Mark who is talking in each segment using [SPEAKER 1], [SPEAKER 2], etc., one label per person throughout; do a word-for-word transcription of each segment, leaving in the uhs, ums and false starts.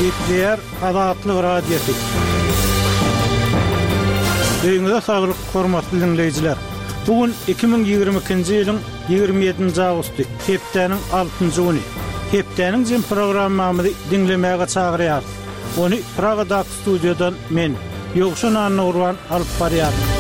[SPEAKER 1] Gepleýär Azatlyk Radiosy. Öýüňize saglyk, hormatly diňleýjiler. Bu gün iki müň ýigrimi ikinji ýylyň ýigrimi ýedinji awgusty, hepdäniň altynjy güni. Hepdäniň jem programmamyzy diňlemäge çagyrýarys. Ony Pragadaky studiýadan men, Ýowşan Annagurban alyp barýaryn.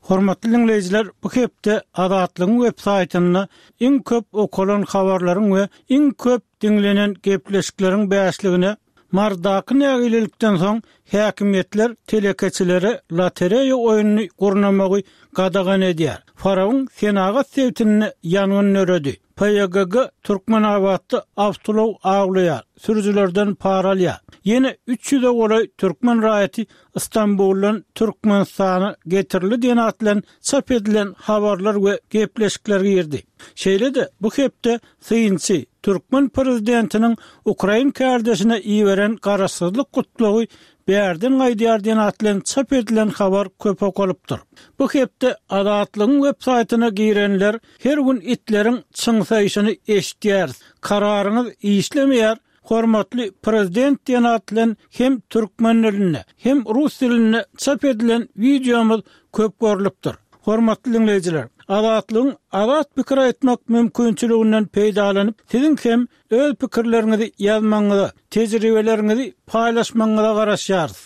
[SPEAKER 1] Hormatly diňleýjiler, bu hepde Azatlygyň web saýtynda iň köp okalan habarlaryň we iň köp diňlenen gepleşikleriň bäşligine Mardaky nägilelikden soň häkimiýetler telekeçilere lotereýa oýnuny gurnamagy gadagan edýär. Farabyň senagat sebitinde ýangyn döredi. P Y G G Türkmenabatda awtoulag awlaýar, sürüjilerden para alýar. Ýene üç ýüze golaý türkmen raýaty Istanbuldan Türkmenistana getirildi diýen at bilen çap edilen habarlar we gepleşikler girdi. Şeýle-de bu hepde synçy türkmen prezidentiniň Ukrain kardeşine iberen garaşsyzlyk gutlagy bärden gaýdýar diýen at bilen çap edilen habar köp okalypdyr. Bu hepde Azatlygyň web saýtyna girenler her gün itleriň çyňsaýşyny eşitýär. Kararyňyz işlemeýär. Hormatly prezident diýen at bilen hem türkmen dilinde, hem rus dilinde çap edilen wideomyz köp görlüpdir. Hormatly dinleýjiler, Azatlygyň azat pikir aýtmak mümkinçiliginden peýdalanyp, siziň hem öz pikirleriňizi ýazmagyňyza, tejribeleriňizi paýlaşmagyňyza garaşýarys.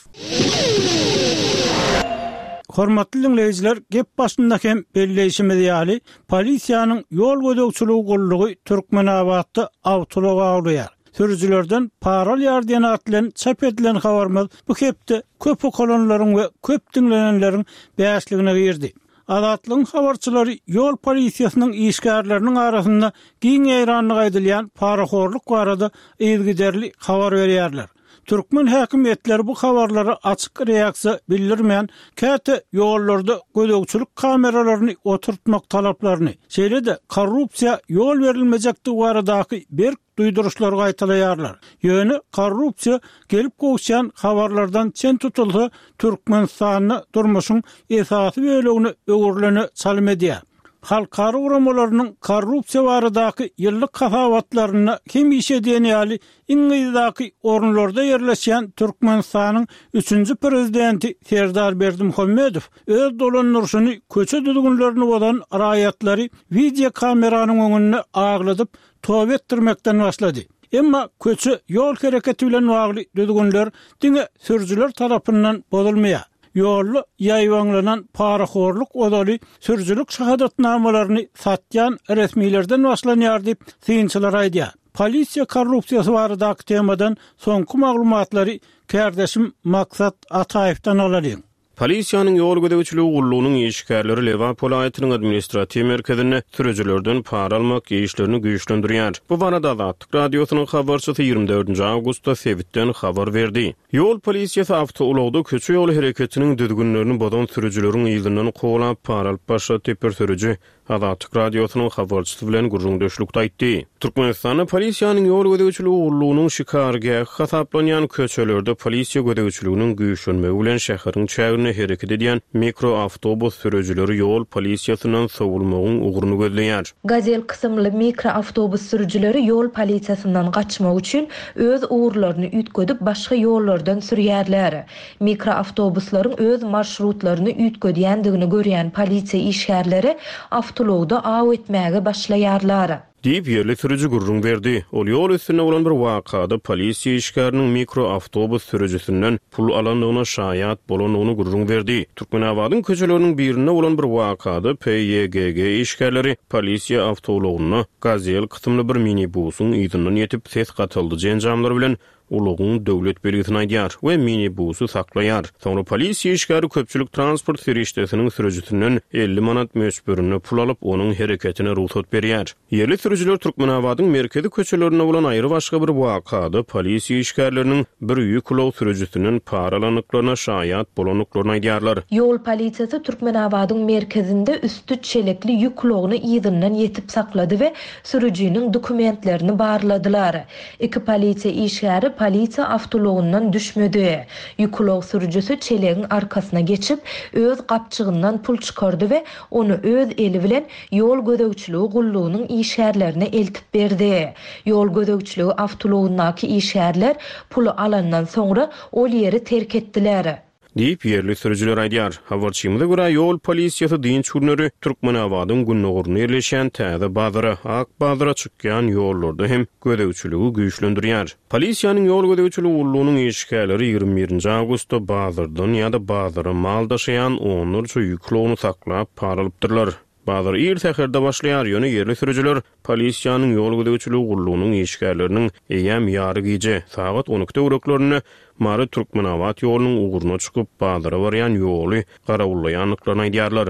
[SPEAKER 1] Hormatly dinleýjiler, gep başynda hem belleýşimiz ýaly, polisiýanyň ýol gözegçiligi gullugy Türkmenabatda awtoulag awlaýar. Sürüjilerden para alýar diýen at bilen çap edilen habarymyz bu hepde köp okalanlaryň we köp diňlenenleriň bäşligine girdi. Azatlygyň habarçylary ýol polisiýasynyň işgärleriniň arasynda giň ýaýranlyk aýdylýan parahorluk barada yzygiderli habar berýärler. Türkmen häkimiýetleri bu habarlara açyk reaksiýa bildirmän, käte ýollarda gözegçilik kameralaryny oturtmak talaplaryny, şeýle-de korrupsiýa ýol berilmejekdigi baradaky berk duýduryşlary gaýtalaýarlar. Ýöne korrupsiýa gelip gowuşýan habarlardan çen tutulsa, Türkmenistanda durmuşyň esasy bölegini öwrülene çalym edýär. Halkara guramalarynyň korrupsiýa baradaky ýyllyk hasabatlarynda hemişe diýen ýaly iň yzdaky orunlarda ýerleşýän Türkmenistanyň üçünji prezidenti Serdar Berdimuhamedow öz dolandyryşyny köçe düzgünlerini bozan raýatlary video kameranyň öňünde agladyp toba etdirmekden başlady. Emma köçe ýol hereketi bilen bagly düzgünler diňe sürüjiler tarapyndan bozulmaýar. Ýolda ýaýbaňlanan parahorluk ozaly sürüjilik şahadatnamalaryny satýan resmilerden başlanýar diýip synçylar aýdýar. Polisiýa korrupsiýasy baradaky temadan soňky maglumatlary kardeşim Maksat Ataýewden alalyň.
[SPEAKER 2] Polisiýanyň ýol gözegçiligi gullugynyň işgärleri Lebap welaýatynyň administratiw merkezinde sürüjilerden para almak işlerini güýçlendirýär. Bu barada Azatlyk radiosynyň habarçysy ýigrimi dördünji awgustda sebitden habar berdi. Ýol polisiýasy awtoulagda köçe ýoly hereketiniň düzgünlerini bozan sürüjileriň yzyndan kowalap para alyp başlady bir sürüji Azatlyk radiosynyň habarçysy bilen gürrüňdeşlikde aýtdy. Türkmenistanda polisiýanyň ýol gözegçiligi gullugynyň şikargähi hasaplanýan köçelerde polisiýa gözegçiliginiň güýçlenmegi bilen şäheriň çäginde hereket edýän mikroawtobus sürüjileri ýol polisiýasyndan sowulmagyň ugruny gözleýär.
[SPEAKER 3] Gazel kysymly mikroawtobus sürüjileri ýol polisiýasyndan gaçmak üçin öz ugurlaryny üýtgedip başga ýollardan sürýärler. Mikroawtobuslaryň öz marşrutlaryny üýtgedýändigini görýän polisiýa işgärleri awtoulagda aw etmäge başlaýarlar.
[SPEAKER 2] Diýip ýerli sürüji gürrüň berdi. Ol ýol üstünde bolan bir wakada polisiýa işgäriniň mikroawtobus sürüjisinden pul alandygyna şaýat bolandygyny gürrüň berdi. Türkmenabadyň köçeleriniň birinde bolan bir wakada P Y G G işgärleri polisiýa awtoulagyna Gazel kysymly bir minibusyň yzyndan ýetip ses gataldyjy enjamlar bilen ulagyň döwlet belgisini aýdýar we minibusy saklaýar. Soňra polisiýa işgäri köpçülik transport serişdesiniň sürüjisinden elli manat möçberinde pul alyp, onuň hereketine rugsat berýär. Ýerli sürüjiler Türkmenabadyň merkezi köçelerinde bolan aýry başga bir wakada polisiýa işgärleriniň bir ýük ulag sürüjisinden para alandyklaryna şaýat bolandyklaryny aýdýarlar.
[SPEAKER 3] Ýol polisiýasy Türkmenabadyň merkezinde üstü çelekli ýük ulagyny yzyndan ýetip saklady we sürüjiniň dokumentlerini barladylar. Iki polisiýa işgäri polisiýa awtoulagyndan düşmedi. Ýük ulag sürüjisi çelegiň arkasyna geçip, öz gapjygyndan pul çykardy we ony öz eli bilen ýol gözegçiligi gullugynyň işgärlerine eltip berdi. Ýol gözegçiligi awtoulagyndaky işgärler puly alandan soňra ol ýeri terk etdiler.
[SPEAKER 2] Diýip, ýerli sürüjiler aýdýar. Habarçymyza görä, ýol polisiýasy dynç günleri Türkmenabadyň gündogarynda ýerleşýän Täze bazara, Ak bazara çykýan ýollarda hem gözegçiligi güýçlendirýär. Polisiýanyň ýol gözegçiligi gullugynyň işgärleri ýigrimi birinji awgustda bazardan ýa-da bazara mal daşaýan onlarça ýük ulagyny saklap para alypdyrlar. Bazar ir säherde başlaýar, ýöne ýerli sürüjiler polisiýanyň ýol gözegçiligi gullugynyň işgärleriniň eýýäm ýary gije, sagat on iki töwereklerinde Mary Türkmenabat ýolunyň ugruna çykyp, bazara barýan ýoly garawullaýandyklaryny aýdýarlar.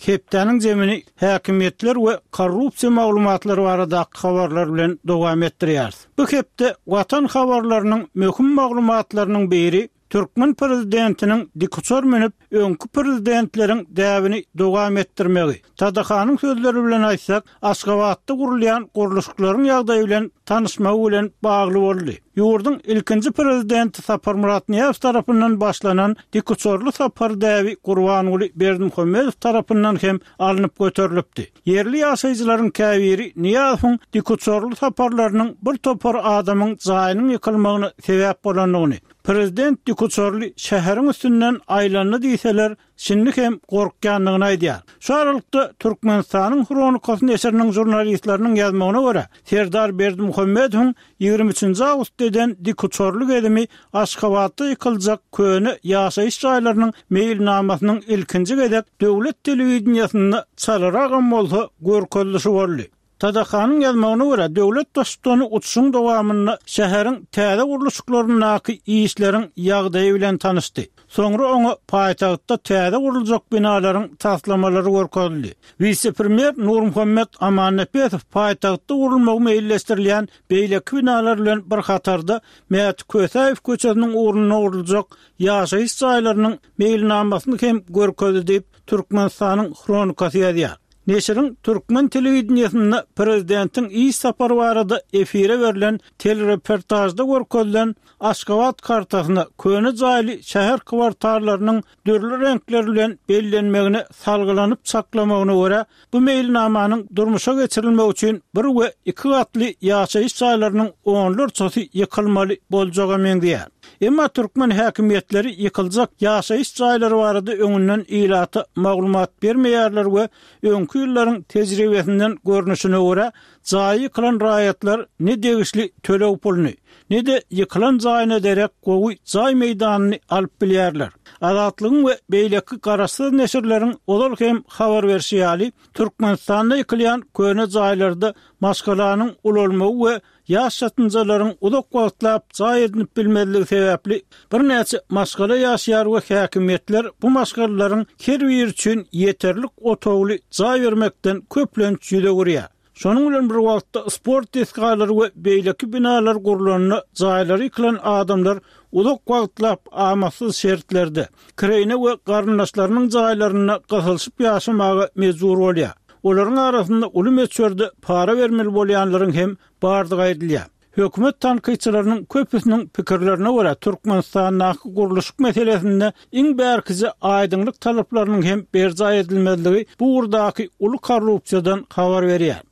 [SPEAKER 1] Hepdäniň zemini häkimiýetler we korrupsiýa maglumatlary baradaky habarlar bilen dowam etdirýäris. Bu hepde Watan habarlarynyň möhüm maglumatlarynyň biri Türkmen prezidentiniň dikuçar münüp öňki prezidentleriň däbini dowam etdirmegi. Tadahanyň sözleri bilen aýtsak, Aşgabatda gurulýan gurluşyklaryň ýagdaýy bilen tanyşmagy bilen bagly boldy. Ýurduň ilkinji prezidenti Saparmyrat Nyýazow tarapyndan başlanan dikuçarly sapar däbi Gurbanguly Berdimuhamedow tarapyndan hem alnyp göterilipdi. Ýerli ýaşaýjylaryň käbiri Nyýazowyň dikuçarly saparlarynyň bir topar adamyň jaýynyň ýykylmagyna sebäp bolandygyny, prezident dikuçarly şäheriň üstünden aýlandy diýseler, şimdi hem gorkýandygyny aýdýar. Şu aralykda Türkmenistanyň Hronikasy neşiriniň žurnalistleriniň ýazmagyna görä, Serdar Berdimuhamedowyň ýigrimi üçünji awgustda eden dikuçarly gezimi Aşgabatda ýykyljak köne ýaşaýyş jaýlarynyň meýilnamasynyň ilkinji gezek döwlet telewideniýesinde çalaragam bolsa görkezilişi boldy. Tadahanyň ýazmagyna görä, döwlet baştutany uçuşyň dowamynda şäheriň täze gurluşyklaryndaky işleriň ýagdaýy bilen tanyşdy. Soňra oňa paýtagtda täze guruljak binalaryň taslamalary görkezildi. Wise-premýer Nurmuhammet Amannepesow paýtagtda gurulmagy meýilleşdirilýän beýleki binalar bilen bir hatarda Mäti Kösäýew köçesiniň ugrunda guruljak ýaşaýyş jaýlarynyň meýilnamasyny hem görkezdi diýip, Türkmenistanyň Hronikasy ýazýar. Neşiriň Türkmen telewideniýesinde prezidentiň iş sapary barada efire berlen telereportajda görkezilen Aşgabat kartasyna köne jaýly şäher kwartallarynyň dürli reňkler bilen bellenmegine salgylanyp çaklamagyna görä, bu meýilnamanyň durmuşa geçirilmegi üçin bir we iki gatly ýaşaýyş jaýlarynyň onlarçasy ýykylmaly boljaga meňzeýär. Emma türkmen häkimiýetleri ýykyljak ýaşaýyş jaýlary barada öňünden ilata maglumat bermeýärler we öňki ýyllaryň tejribesinden görnüşine görä, jaýy ýykylan raýatlar ne degişli töleg puluny, ne de ýykylan jaýyna derek gowy jaý meýdanyny alyp bilýärler. Azatlygyň we beýleki garaşsyz neşirleriň ozal hem habar berşi ýaly, Türkmenistanda ýykylýan köne jaýlarda maşgalanyň ulalmagy we ýaş çatynjalaryň uzak wagtlap jaý edinip bilmezligi sebäpli birnäçe maşgala ýaşaýar we häkimiýetler bu maşgalalaryň her biri üçin ýeterlik otagly jaý bermekden köplenç ýüz öwürýär. Şonuň bilen bir wagtda sport desgalary we beýleki binalar gurlanda jaýlary ýykylan adamlar uzak wagtlap amatsyz şertlerde kireýne we garyndaşlarynyň jaýlarynda gysylyşyp ýaşamaga mejbur bolýar. Olaryň arasynda uly möçberde para bermeli bolýanlaryň hem bardygy aýdylýar. Hökümet tankytçylarynyň köpüsiniň pikirlerine görä, Türkmenistandaky gurluşyk meselesinde iň bärkije aýdyňlyk talaplarynyň hem berjaý edilmezligi bu ugurdaky uly korrupsiýadan habar berýär.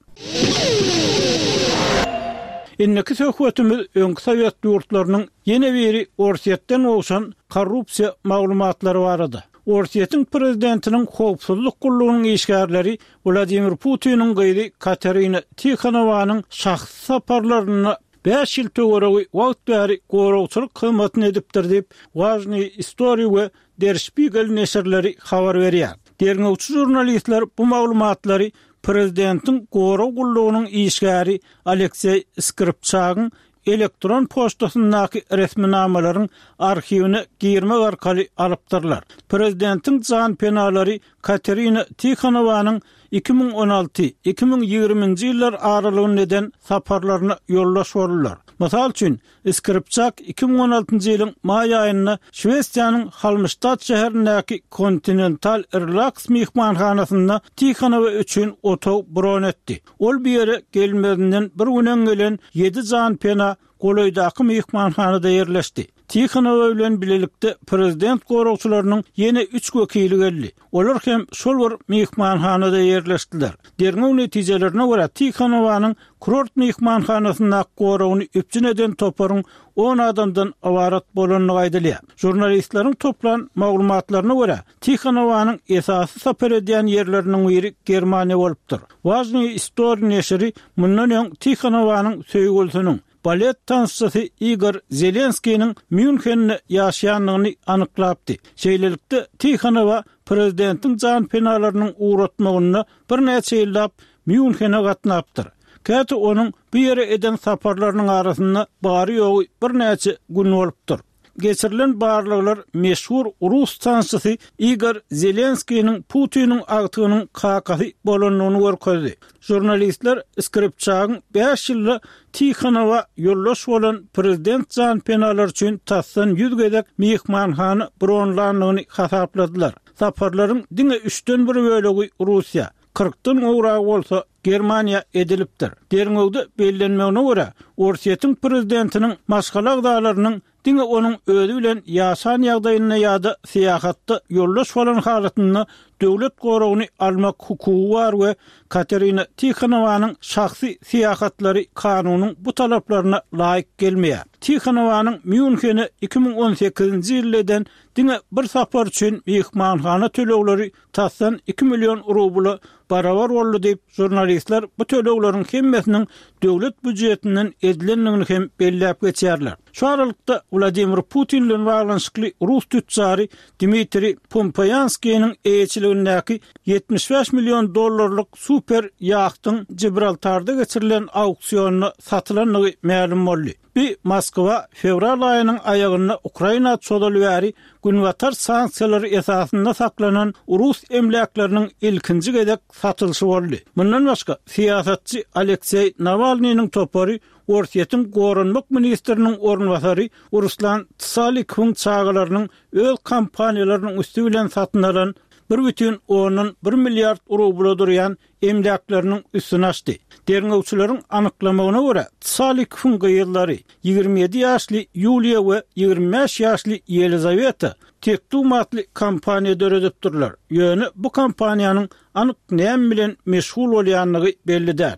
[SPEAKER 1] Indiki söhbetimiz öňki Sowet ýurtlarynyň ýene biri Orsýetden gowşan korrupsiýa maglumatlary barada. Orsýetiň prezidentiniň howpsuzlyk gullugynyň işgärleri Wladimir Putiniň gyzy Katerina Tihonowanyň şahsy saparlaryna bäş ýyl töweregi wagt bäri goragçylyk hyzmatyny edipdir diýip, Важные истории we Der Spiegel neşirleri habar berýär. Derňewçi žurnalistler bu maglumatlary prezidentiň gorag gullugynyň işgäri Alekseý Skripçagyň elektron poçtasyndaky resminamalaryň arhiwine girmek arkaly alypdyrlar. Prezidentiň jan penalary Katerina Tihonowanyň iki müň on alty, iki müň ýigriminji ýyllar aralygynda eden saparlaryna ýoldaş boldular. Mysal üçin, Skripçak iki müň on altynjy ýylyň maý aýynda Şwesiýanyň Halmstad şäherindäki Continental Relax myhmanhanasynda Tihonowa üçin otag bron etdi. Ol bu ýere gelmezinden bir gün öň gelen ýedi janpena golaýdaky myhmanhanada ýerleşdi. Tihonowa bilen bilelikde prezident goragçylarynyň ýene üç wekili geldi. Olar hem şol bir myhmanhanada ýerleşdiler. Derňew netijelerine görä Tihonowanyň kurort myhmanhanasyndaky goragyny üpjün eden toparyň on adamdan ybarat bolandygy aýdylýar. Žurnalistleriň toplan maglumatlaryna görä Tihonowanyň esasy sapar edýän ýerleriniň biri Germaniýa bolupdyr. Важные истории neşiri mundan öň Tihonowanyň söýgülisiniň balet tansçysy Igor Zelenskiniň Mýunhende ýaşaýandygyny anyklapdy. Şeýlelikde Tihonowa prezidentiň janpenalarynyň ugratmagynda birnäçe ýyllap Mýunhene gatnapdyr. Käte onuň bu ýere eden saparlarynyň arasynda bary ýogy birnäçe gün bolupdyr. Geçirilen barlaglar meşhur rus tansçysy Igor Zelenskiniň Putiniň agtygynyň kakasy bolandygyny görkezdi. Žurnalistler Skripçagyň bäş ýylda Tihonowa ýoldaş bolan prezident janpenalar üçin tasdan ýüz gezek myhmanhana bronlandygyny hasapladylar. Saparlaryň diňe üçden bir bölegi Russiýa, kyrkdan gowragy bolsa Germaniýa edilipdir. Derňewde bellenmegine görä, Orsýetiň prezidentiniň maşgala agzalarynyň diňe onuň özi bilen ýaşan ýagdaýynda ýa-da syýahatda ýoldaş bolan halatynda döwlet goragyny almak hukugy bar we Katerina Tihonowanyň şahsy syýahatlary kanunyň bu talaplaryna laýyk gelmeýär. Tihonowanyň Mýunhene iki müň on sekizinji ýylda eden diňe bir sapar üçin myhmanhana tölegleri tasdan iki million rubla barabar boldy diýip, žurnalistler bu tölegleriň hemmesiniň döwlet býujetinden edilendigini hem belläp geçýärler. Şu aralykda Wladimir Putin bilen baglanyşykly rus tütjary Dmitriý Pumpoýanskiniň eýeçiligindäki ýetmiş bäş million dollarlyk super ýahtyň Gibraltarda geçirilen auksionda satylandygy mälim boldy. Bi Moskwa fewral aýynyň aýagynda Ukraina çozaly bäri günbatar sanksiýalary esasynda saklanan rus emläkleriniň ilkinji gezek satylyşy boldy. Mundan başga syýasatçy Alekseý Nawalnynyň topary Orsýetiň goranmak ministriniň orunbasary Ruslan Tsalikowyň çagalarynyň öz kompaniýalarynyň üsti bilen satyn alan bir bütin ondan bir milliard rubla durýan emläkleriniň üstüni açdy. Derňewçileriň anyklamagyna görä Tsalikowyň gyzlary ýigrimi ýedi ýaşly Ýuliýa we ýigrimi bäş ýaşly Ýelizaweta Tektum atly kompaniýa döredipdirler. Ýöne bu kompaniýanyň anyk näme bilen meşgul bolýandygy belli däl.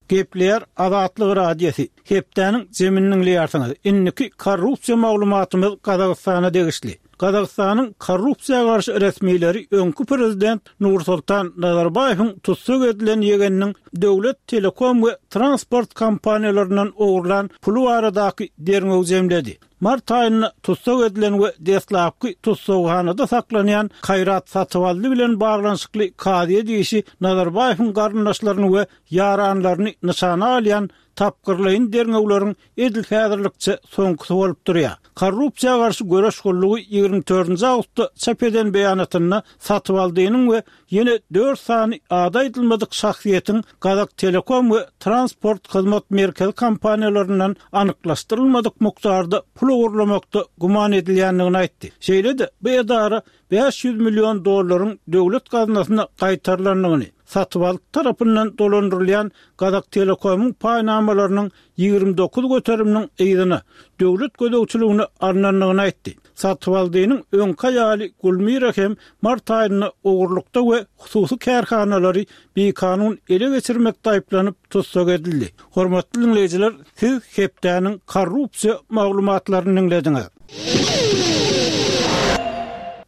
[SPEAKER 1] Gepleýär Azatlyk Radiosy. Hepdäniň zemini diňleýärsiňiz. Indiki korrupsiýa maglumatymyz Gazagystana degişli. Gazagystanyň korrupsiýa garşy resmileri öňki prezident Nursultan Nazarbaýewiň tussag edilen ýegeniniň döwlet telekom we transport kompaniýalaryndan ogurlan puly baradaky derňew jemledi. Mart aýynda tussag edilen we deslapky tussaghanada saklanýan Kaýrat Satybaldy bilen baglanyşykly kazyýet işi Nazarbaýewiň garyndaşlaryny we ýaranlaryny nyşana alýan tapgyrlaýyn derňewleriň edil häzirlikçe soňkusy bolup durýar. Korrupsiýa garşy göreş gullugy ýigrimi dördünji awgustda çap eden beýanatynda Satybaldynyň we ýene dört sany ady aýdylmadyk şahsyýetiň Gazak Telekom we Transport Hyzmat Merkezi kompaniýalaryndan anyklaşdyrylmadyk mukdarda pul ogurlamakda güman edilýändigini aýtdy. Şeýle-de bu edara bäş ýüz million dollaryň döwlet gaznasyna gaýtarylandygyny, Satybaldy tarapyndan dolandyrylýan Gazak Telekomyň paýnamalarynyň ýigrimi dokuz göteriminiň yzyna döwlet gözegçiligine alnandygyny aýtdy. Satybaldynyň öňki aýaly Gulmira hem mart aýynda ogurlykda we hususy kärhanalary bikanun ele geçirmekde aýyplanyp tussag edildi. Hormatly dinleýjiler, siz hepdäniň korrupsiýa maglumatlaryny dinlediňiz.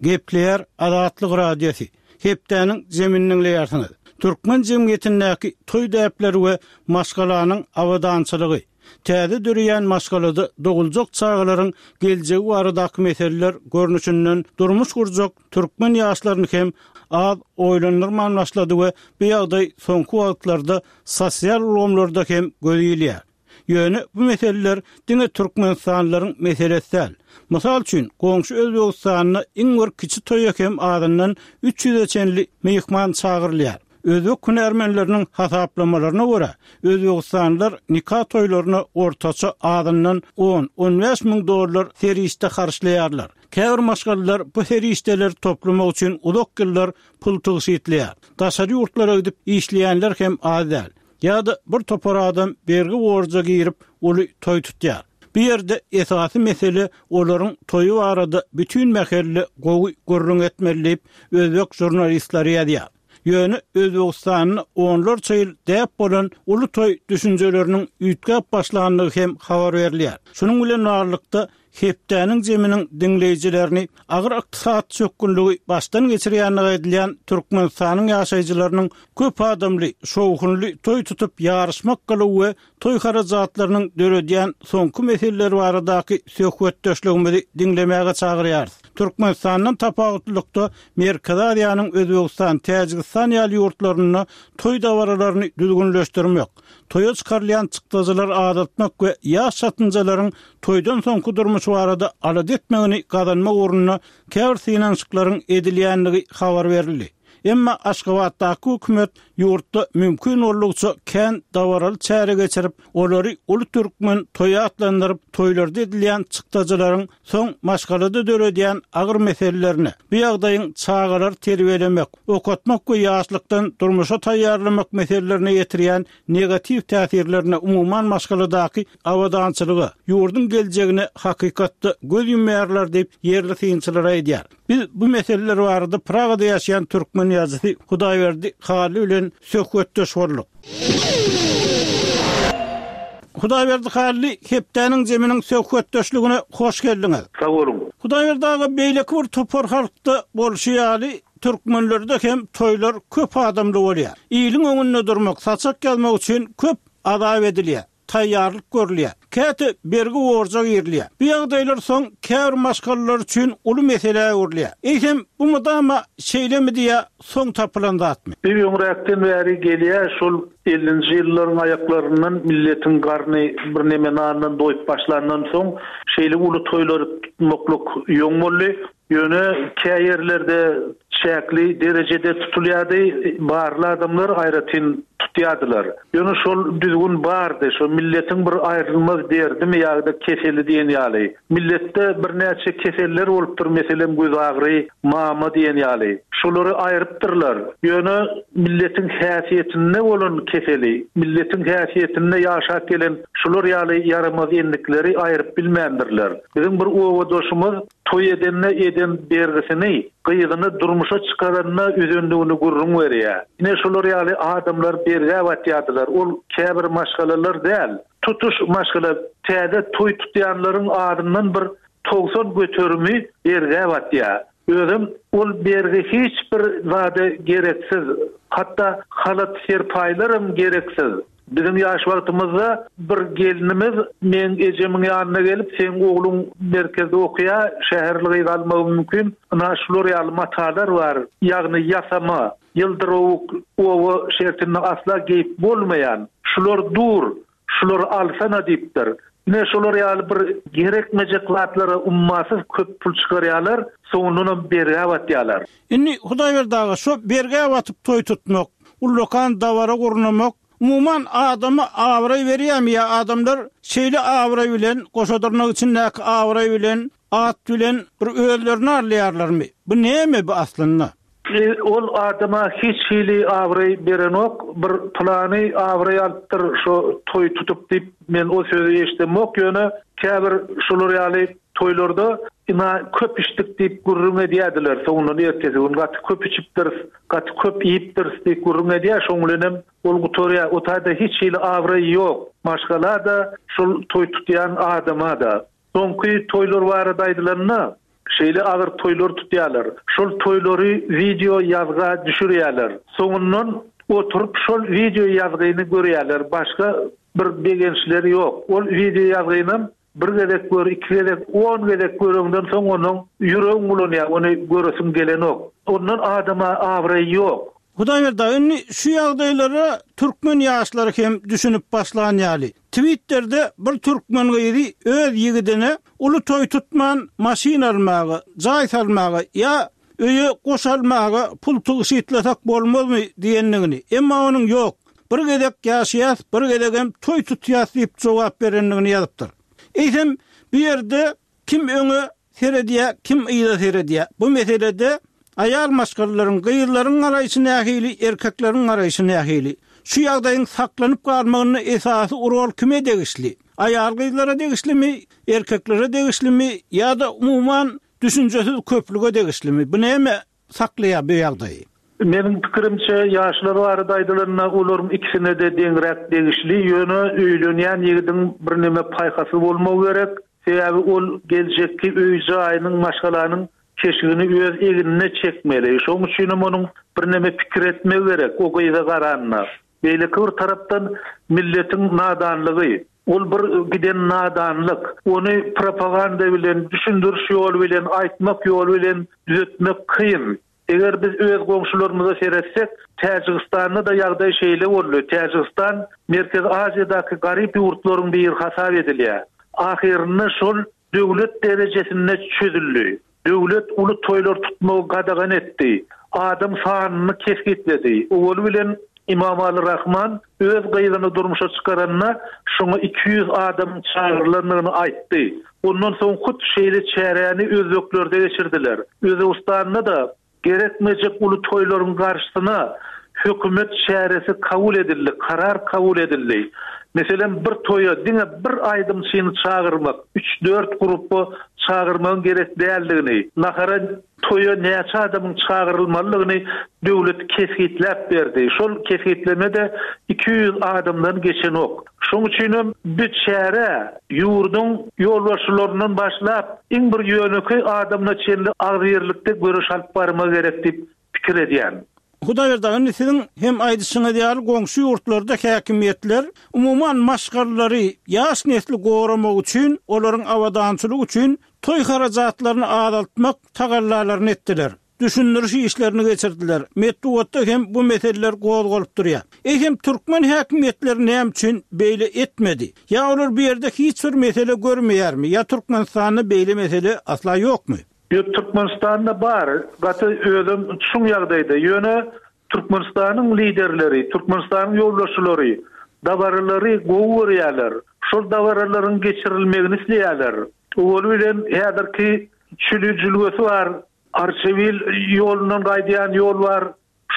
[SPEAKER 1] Gepleýär Azatlyk Radiosy. Hepdäniň zemini dinleýärsiňiz. Türkmen jemgyýetindäki toý däpleri we maşgalanyň abadançylygy, täze döreýän maşgalada doguljak çagalaryň geljegi baradaky meseleler görnüşinden durmuş gurjak türkmen ýaşlaryny hem az oýlandyrman başlady we bu ýagdaý soňky wagtlarda sosial ulgamlarda hem göz ilýär. Ýöne bu meseleler diňe Türkmenistanlylaryň meselesi däl. Mysal üçin, goňşy Özbegistanda iň bir kiçi toýa hem azyndan üç ýüze çenli myhman çagyrylýar. Özbek hünärmenleriniň hasaplamalaryna görä, özbegistanlylar nika toýlaryna ortaça azyndan on, on bäş müň dollar serişde harçlaýarlar. Käbir maşgalalar bu serişdeleri toplamak üçin uzak ýyllar pul tygşytlaýar. Daşary ýurtlara gidip işleýänler hem az däl. Ýa-da bir topar adam bergi borja girip, uly toý tutýar. Bu ýerde esasy mesele olaryň toýy barada bütin mähelle gowy gürrüň etmeli diýip, özbek žurnalistleri ýazýar. Ýöne Özbegistanda onlarça ýyl däp bolan uly toý düşünjeleriniň üýtgäp başlandygy hem habar berilýär. Şunuň bilen baglylykda hepdäniň zeminiň diňleýjilerini agyr ykdysady çökgünligi başdan geçirýänligi aýdylýan Türkmenistanyň ýaşaýjylarynyň köp adamly, şowhunly toý tutup ýaryşmak gylygy we toý harajatlarynyň döredýän soňky meseleleri baradaky söhbetdeşligimizi diňlemäge çagyrýarys. Türkmenistandan tapawutlylykda Merkezi Aziýanyň Özbegistan, Täjigistan ýaly ýurtlarynda toý dabaralaryny düzgünleşdirmek, toýa çykarylýan çykdajylary azaltmak we ýaş çatynjalaryň toýdan soňky durmuşy barada alada etmegini gazanmak ugrunda käbir synanyşyklaryň edilýändigi habar berildi. Emma Aşgabatdaky hökümet ýurtda mümkin boldugyça kän dabaraly çäre geçirip, olary uly türkmen toýy atlandyryp, toýlarda edilýän çykdajylaryň soň maşgalada döredýän agyr meselelerine, bu ýagdaýyň çagalary terbiýelemek, okatmak we ýaşlykdan durmuşa taýýarlamak meselelerine ýetirýän negatiw täsirlerine, umuman maşgaladaky abadançylyga, ýurduň geljegine hakykatda göz ýumýarlar diýip, ýerli synçylar aýdýar. Biz bu meseleler barada Pragada ýaşaýan türkmen ýazyjysy Hudaýberdi Hally bilen söhbetdeş bolduk. Hudaýberdi Hally, hepdäniň zeminiň söhbetdeşligine hoş geldiňiz.
[SPEAKER 4] Sag boluň.
[SPEAKER 1] Hudaýberdi aga, beýleki bir topar halkda bolşy ýaly, türkmenlerde hem toýlar köp adamly bolýar. Iliň öňünde durmak, saçak ýazmak üçin köp azap edilýär, taýýarlyk görülýär. Käte bergi borja girilýär. Bu ýagdaýlar soň käbir maşgalalar üçin uly meselä öwrülýär. Eýsem, bu mydama şeýlemi diýä soň tapylan zatmy?
[SPEAKER 4] Bir öňräkden bäri gelýär, şol ellinji ýyllaryň aýaklaryndan milletiň garny bir neme nandan doýup başlandan soň şeýle uly toýlar tutmaklyk ýoň boldy. Ýöne kä ýerlerde çäkli derejede tutulýardy, barly adamlar aýratyn tutýardylar. Ýöne şol düzgün bardy, şol milletiň bir aýrylmaz derdimi ýa-da keseli diýen ýaly. Milletde birnäçe keseller bolupdyr, meselem göz agry, mama diýen ýaly. Şolary aýrypdyrlar. Ýöne milletiň häsiýetinde bolan keseli, milletiň häsiýetinde ýaşap gelen şolar ýaly ýaramaz endikleri aýryp bilmändirler. Biziň bir owadoşumyz toý edende eden bergisini, gyzyny durmuşa çykaranyna üzendigini gürrüň berýär. Ine şolar ýaly adamlar bergä batýardylar. Ol käbir maşgalalar däl, tutuş maşgala täze toý tutýanlaryň adyndan bir togsan göterimi bergä batýar. Özüm ol bergi hiç bir zada gereksiz, hatda halat serpaýlaram gereksiz. Bizim ýaş wagtymyzda bir gelinimiz men ejemiň ýanyna gelip, seň ogluň merkezde okuýar, şäherli gyz almagy mümkin. Ina şular ýaly matalar bar, ýagny ýasama, ýyldyrawuk owa şertinde asla geýip bolmaýan. Şular dur, şular alsana diýipdir. Ine şular ýaly bir gerekmejek zatlara ummasyz köp pul çykarýarlar, soňundanam bergä batýarlar.
[SPEAKER 1] Indi Hudaýberdi aga, şo bergä batyp toý tutmak, ullakan dabara gurnamak, umuman adama abraý berýärmi ýa adamlar şeýle abraý bilen, goşadyrnak içindäki abraý bilen, at bilen bir özlerini alýarlarmy? Bu näme bu aslynda?
[SPEAKER 4] E, ol adama hiç hili abraý berenok, bir plany abraý alypdyr şo toý tutup diýip men o sözi eşitdimok, ýöne käbir şolar ýaly toýlarda ina köp içdik diýip gürrüň edýärdiler. Soňundan ertesi gün gaty köp içipdiris, gaty köp iýipdiris diýip gürrüň edýär. Şoň bilen hem ol gutarýar. O taýda hiç hili abraý ýok. Maşgala-da, şol toý tutýan adama-da. Soňky toýlar barada aýdylanda, şeýle agyr toýlar tutýarlar. Şol toýlary video ýazga düşürýärler. Soňundan oturyp şol video ýazgyny görýärler. Başga bir begençleri ýok. Ol video ýazgynam bir gezek gör, iki gezek, on gezek göreňden soň onuň ýüregiň bulanýar, ony göresiň gelenok. Ondan adama abraý ýok.
[SPEAKER 1] Hudaýberdi aga, indi şu ýagdaýlara türkmen ýaşlary hem düşünip başlan ýaly. Twitter'de bir türkmen gyzy öz ýigidine uly toý tutman maşyn almaga, jaý salmaga ýa öýe goş almaga pul tygşytlasak bolmazmy diýendigini, emma onuň ýok, bir gezek ýaşaýas, bir gezegem toý tutýas diýip jogap berendigini ýazypdyr. Eýsem, bu ýerde kim öňe seredýär, kim yza seredýär? Bu meselede aýal maşgalalaryň, gyzlaryň garaýşy nähili, erkekleriň garaýşy nähili? Şu ýagdaýyň saklanyp galmagyna esasy rol kime degişli? Aýal gyzlara degişlimi, erkeklere degişlimi ýa-da umuman düşünjesiz köplüge degişlimi? Bu näme saklaýar bu ýagdaýy?
[SPEAKER 4] Meniň pikirimçe, ýaşlar barada aýdylanda olaryň ikisine-de deňräk degişli, ýöne öýlenýän ýigidiň birneme paýhasly bolmagy gerek. Sebäbi ol geljekki öý-jaýynyň, maşgalanyň keşigini öz egnine çekmeli. Şonuň üçin hem onuň birneme pikir etmegi gerek o gyza garanda. Beýleki bir tarapdan milletiň nadanlygy, ol bir giden nadanlyk, ony propaganda bilen, düşündiriş ýoly bilen, aýtmak ýoly bilen düzetmek kyn. Eger biz öz goňşularymyza seretsek, Täjigistanda-da ýagdaý şeýle boldy. Täjigistan Merkezi Aziýadaky garyp ýurtlaryň biri hasap edilýär. Ahyrynda şol döwlet derejesinde çözüldi. Döwlet uly toýlar tutmagy gadagan etdi. Adam sanyny kesgitledi. Owaly bilen Imamali Rahman öz gyzyny durmuşa çykaranda şoňa iki ýüz adamyň çagyrylandygyny aýtdy. Ondan soň hut şeýle çäräni özbeklerde geçirdiler. Özbegistanda-da gerekmejek uly toýlaryň garşysyna hökümet çäresi kabul edildi, karar kabul edildi. Meselem, bir toýa diňe bir aýdymçyny çagyrmak, üç-dört gruppa çagyrmagyň gerek däldigini, nahara toýa näçe adamyň çagyrylmalydygyny döwlet kesgitläp berdi. Şol kesgitleme-de iki ýüz adamdan geçenok. Şonuň üçin hem bu çäre ýurduň ýolbaşçylaryndan başlap, iň bir ýönekeý adamyna çenli agzybirlikde göreş alyp barmagy gerek diýip pikir edýän.
[SPEAKER 1] Hudaýberdi aga, indi siziň hem aýdyşyňyz ýaly goňşy ýurtlarda häkimiýetler umuman maşgalalary, ýaş nesli goramak üçin, olaryň abadançylygy üçin toý harajatlaryny azaltmak tagallalaryny etdiler. Düşündiriş işlerini geçirdiler. Metbugatda hem bu meseleler gozgalyp durýar. Eýsem türkmen häkimiýetleri näme üçin beýle etmedi? Ýa olar bu ýerde hiç bir mesele görmeýärmi? Ýa Türkmenistanda beýle mesele asla ýokmy?
[SPEAKER 4] Ýok, Türkmenistanda bar. Gaty özem çuň ýagdaýda. Ýöne Türkmenistanyň liderleri, Türkmenistanyň ýolbaşçylary dabaralary gowy görýärler. Şol dabaralaryň geçirilmegini isleýärler. Owaly bilen häzirki Çüli jülgesi bar, Arçabil ýolundan gaýdýan ýol bar.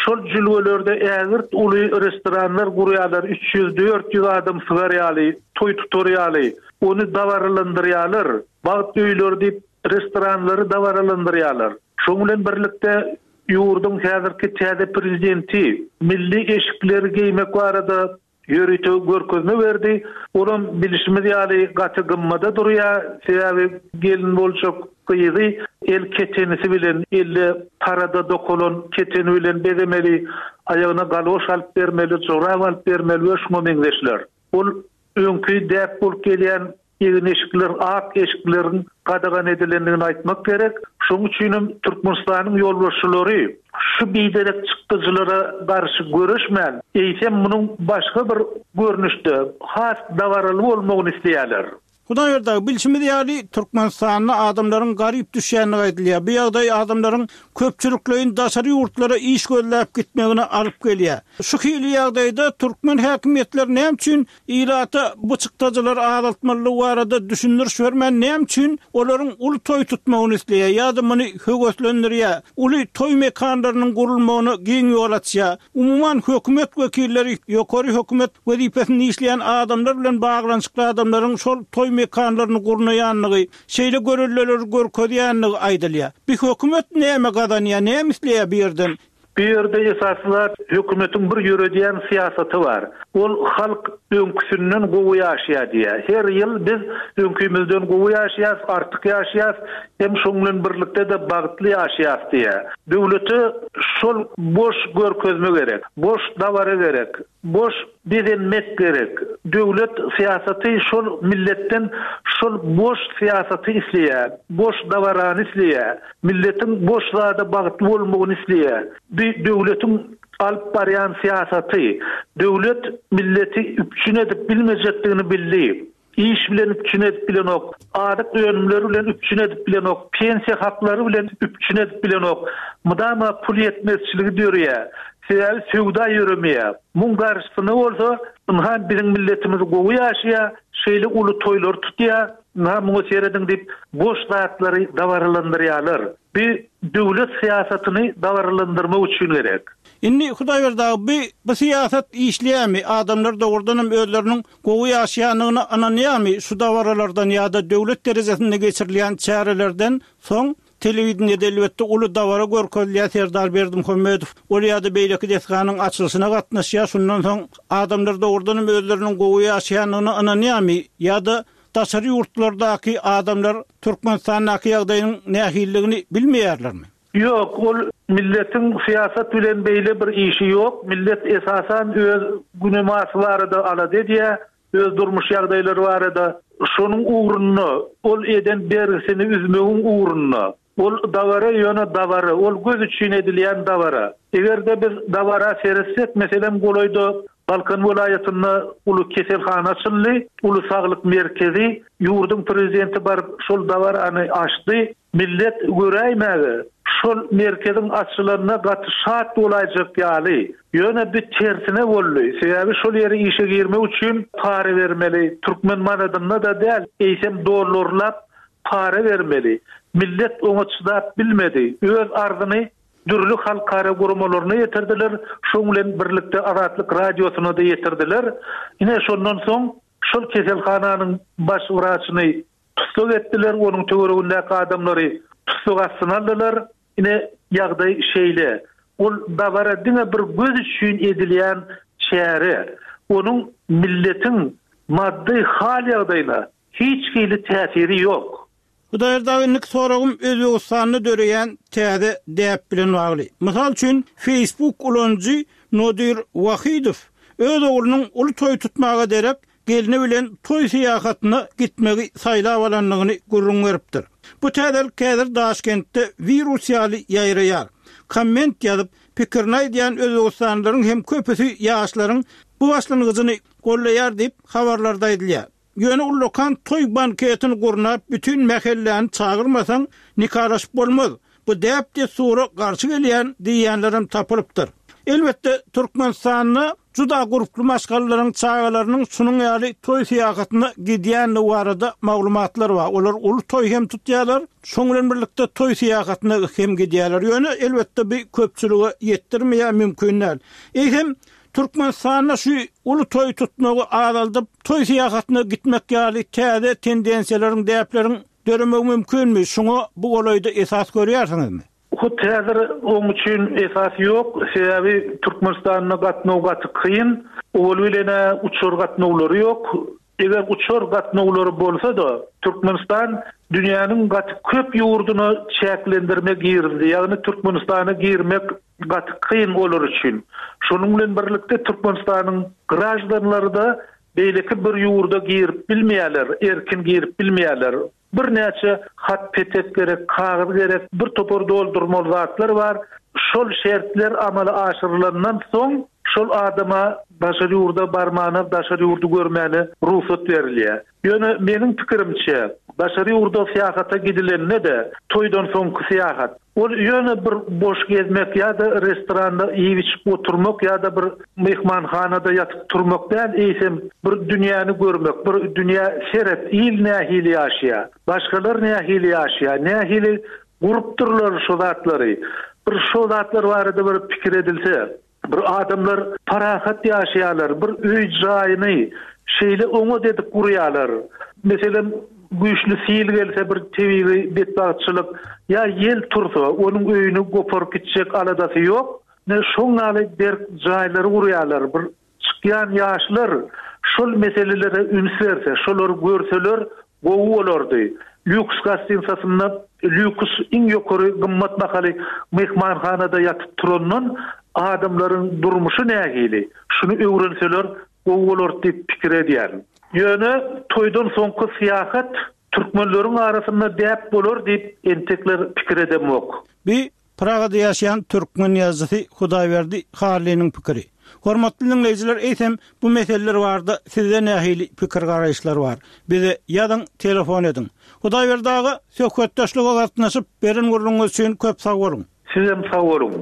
[SPEAKER 4] Şol jülgelerde ägirt uly restoranlar gurýarlar, üç ýüz, dört ýüz adam sygar ýaly, toý tutar ýaly, ony dabaralandyrýarlar. Bagt öýleri diýip restoranlary dabaralandyrýarlar. Şonuň bilen birlikde ýurduň häzirki täze prezidenti milli eşikleri geýmek barada ýörite görkezme berdi. Olam bilişimiz ýaly gaty gymmada durýar. Sebäbi gelin boljak gyzy el ketenisi bilen, elle tarada dokalan keteni bilen bezemeli, aýagyna galoş alyp bermeli, jorap alyp bermeli we şuňa meňzeşler. Ol öňki däp bolup gelýän egin-eşikler, ak eşikleriň gadagan edilendigini aýtmak gerek. Şonuň üçin hem Türkmenistanyň ýolbaşçylary şu biderek çykdajylara garşy göreşmän, eýsem munuň başga bir görnüşde has dabaraly bolmagyny isleýärler.
[SPEAKER 1] Hudaýberdi aga, bilşimiz ýaly, Türkmenistanda adamlaryň garyp düşýändigi aýdylýar. Bu ýagdaý adamlaryň köpçülikleýin daşary ýurtlara iş gözläp gitmegine alyp gelýär. Şu hili ýagdaýda türkmen häkimiýetleri näme üçin ilata bu çykdajylary azaltmalydygy barada düşündiriş bermän, näme üçin olaryň uly toý tutmagyny isleýär ýa-da muny höweslendirýär, uly toý mekanlarynyň gurulmagyna giň ýol açýar? Umuman, hökümet wekilleri, ýokary hökümet wezipesinde işleýän adamlar bilen baglanyşykly adamlaryň şol toý mekanlaryny gurnaýandygy, şeýle göreldeleri görkezýändigi aýdylýar. Bu hökümet näme gazanýar, näme isleýär bu ýerden?
[SPEAKER 4] Bu ýerde esasy zat hökümetiň bir ýöredýän syýasaty bar. Ol halk öňküsinden gowy ýaşaýar diýýär. Her ýyl biz öňkimizden gowy ýaşaýas, artyk ýaşaýas, hem şoň bilen birlikde-de bagtly ýaşaýas diýýär. Döwlete şol boş görkezme gerek, boş dabara gerek, boş bezenmek gerek. Döwlet syýasaty şol milletden şol boş syýasaty isleýär, boş dabarany isleýär, milletiň boş zada bagtly bolmagyny isleýär. Bu döwletiň alyp barýan syýasaty, döwlet milleti üpjün edip bilmejekdigini bildi. Iş bilen üpjün edip bilenok, azyk önümleri bilen üpjün edip bilenok, pensiýa haklary bilen üpjün edip bilenok. Mydama pul ýetmezçiligi döreýär. Sebäbi söwda ýöremeýär. Muň garşysyna bolsa, ynha biziň milletimiz gowy ýaşaýar, şeýle uly toýlar tutýar, ynha muňa serediň diýip, boş zatlary dabaralandyrýarlar. Bu döwlet syýasatyny dabaralandyrmak üçin gerek.
[SPEAKER 1] Indi Hudaýberdi aga, bu bu syýasat işleýärmi? Adamlar dogrudanam özleriniň gowy ýaşaýandygyna ynanýarmy şu dabaralardan ýa-da döwlet derejesinde geçirilýän çärelerden soň telewideniýede elbetde uly dabara görkezilýär, Serdar Berdimuhamedow ol ýa-da beýleki desganyň açylyşyna gatnaşýar, şundan soň adamlar dogrudanam özleriniň gowy ýaşaýandygyna ynanýarmy ýa-da daşary ýurtlardaky adamlar Türkmenistandaky ýagdaýyň nähililigini bilmeýärlermi?
[SPEAKER 4] Ýok, ol milletiň syýasat bilen beýle bir işi ýok. Millet esasan öz günemasy barada alada edýär, öz durmuş ýagdaýlary barada. Şonuň ugrunda, ol eden bergisini üzmegiň ugrunda. Ol dabara ýöne dabara, ol göz üçin edilýän dabara. Eger-de biz dabara seretsek, meselem, golaýda Balkan welaýatynda uly keselhana açyldy, uly saglyk merkezi, ýurduň prezidenti baryp şol dabarany açdy. Millet göräýmäge şol merkeziň açylanyna gaty şat bolaýjak ýaly. Ýöne bir tersine boldy. Sebäbi şol ýere işe girmek üçin para bermeli. Türkmen manadynda-da däl, eýsem dollarlap para bermeli. Millet oňa çydap bilmedi. Öz arzyny dürli halkara guramalaryna ýetirdiler, şoň bilen birlikde Azatlyk Radiosyna-da ýetirdiler. Ine şondan soň şol keselhananyň baş wraçyny tussag etdiler, onuň töweregindäki adamlary tussag astyna aldylar. Ine ýagdaý şeýle. Ol dabara diňe bir göz üçin edilýän çäre. Onuň milletiň maddy hal ýagdaýyna hiç hili täsiri ýok.
[SPEAKER 1] Hudaýberdi aga, indiki soragym Özbegistanda döreýän täze däp bilen bagly. Mysal üçin, Facebook ulanyjy Nodir Wahidow öz oglunyň uly toý tutmaga derek gelni bilen toý syýahatyna gitmegi saýlap alandygyny gürrüň beripdir. Bu täzelik häzir Daşkentde wirus ýaly ýaýraýar. Komment ýazyp, pikirini aýdýan özbegistanlylaryň hem köpüsi ýaşlaryň bu başlangyjyny goldaýar diýip, habarlarda aýdylýar. Ýöne ullakan toý banketini gurnap, bütin mähelläni çagyrmasaň, nikalaşyp bolmaz. Bu däp-dessura garşy gelýän diýýänlerem tapylypdyr. Elbetde, Türkmenistanda juda gurply maşgalalaryň çagalarynyň şunuň ýaly toý syýahatyna gidýändigi barada maglumatlar bar. Olar uly toý hem tutýarlar, şoň bilen birlikde toý syýahatyna hem gidýärler. Ýöne elbetde bu köpçülige ýetdirmeýär mümkin däl. Eýsem, Türkmenistanda şu uly toý tutmagy azaldyp, toý syýahatyna gitmek ýaly täze tendensiýalaryň, däpleriň döremegi mümkinmi? Şuňa bu golaýda esas görýärsiňizmi?
[SPEAKER 4] Hut häzir oň üçin esas ýok, sebäbi Türkmenistanda gatnaw gaty kyn. Owal bilen-ä uçar gatnawlary ýok. Eger uçar gatnawlary bolsa-da, Türkmenistan dünýäniň gaty köp ýurduna çäklendirme girizdi, ýagny Türkmenistana girmek gaty kyn olar üçin. Şonuň bilen birlikde Türkmenistanyň graždanlary-da beýleki bir ýurda girip bilmeýärler, erkin girip bilmeýärler. Birnäçe hat-petek gerek, kagyz gerek, bir topar doldurmaly zatlar bar. Şol şertler amala aşyrylandan soň şol adama daşary ýurda barmana, daşary ýurdy görmäne rugsat berilýär. Ýöne meniň pikirimçe, daşary ýurda syýahata gidilende-de, toýdan soňky syýahat, ol ýöne bir boş gezmek ýa-da restoranda iýip-içip oturmak ýa-da bir myhmanhanada ýatyp turmak däl, eýsem bir dünýäni görmek, bir dünýä seret, il nähili ýaşaýar, başgalar nähili ýaşaýar, nähili gurupdyrlar şo zatlary. Bir şo zatlar barada bir pikir edilse, bir adamlar parahat ýaşaýarlar, bir öý-jaýyny şeýle oňat edip gurýarlar. Meselem, güýçli sil gelse bir tebigy betbagtçylyk ýa ýel tursa, onuň öýüni goparyp gitjek aladasy ýok. Ine, şoň ýaly berk jaýlary gurýarlar. Bir çykýan ýaşlar şol meselelere üns berse, şolary görseler gowy bolardy. Lýuks gastinsasynda lýuks iň ýokary gymmat bahaly myhmanhanada ýatyp turandan adamlaryň durmuşy nähili, şuny öwrenseler gowy bolardy diýip pikir edýärin. Ýöne toýdan soňky syýahat türkmenleriň arasynda däp bolar diýip entekler pikir edemok.
[SPEAKER 1] Bi Pragada ýaşaýan türkmen ýazyjysy Hudaýberdi Hallynyň pikiri. Hormatly diňleýjiler, eýsem bu meseleler barada sizde nähili pikir garaýyşlar bar? Bize ýazyň, telefon ediň. Hudaýberdi aga, söhbetdeşlige gatnaşyp beren gürrüňiňiz üçin köp sag boluň.
[SPEAKER 4] Sizem sag boluň.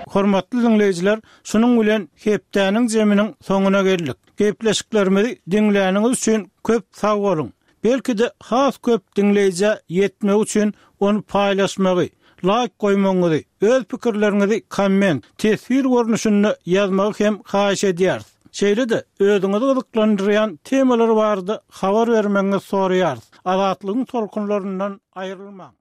[SPEAKER 1] Hormatly diňleýjiler, şunuň bilen hepdäniň jeminiň soňuna geldik. Gepleşiklerimizi diňläniňiz üçin köp sag boluň. Belki-de has köp diňleýjä ýetmegi üçin ony paýlaşmagy, laýk goýmagyňyzy, öz pikirleriňizi komment, teswir görnüşinde ýazmagy hem haýyş edýäris. Şeýle-de özüňizi gyzyklandyrýan temalar barada habar bermegiňizi soraýarys. Azatlygyň tolkunlaryndan aýrylmaň.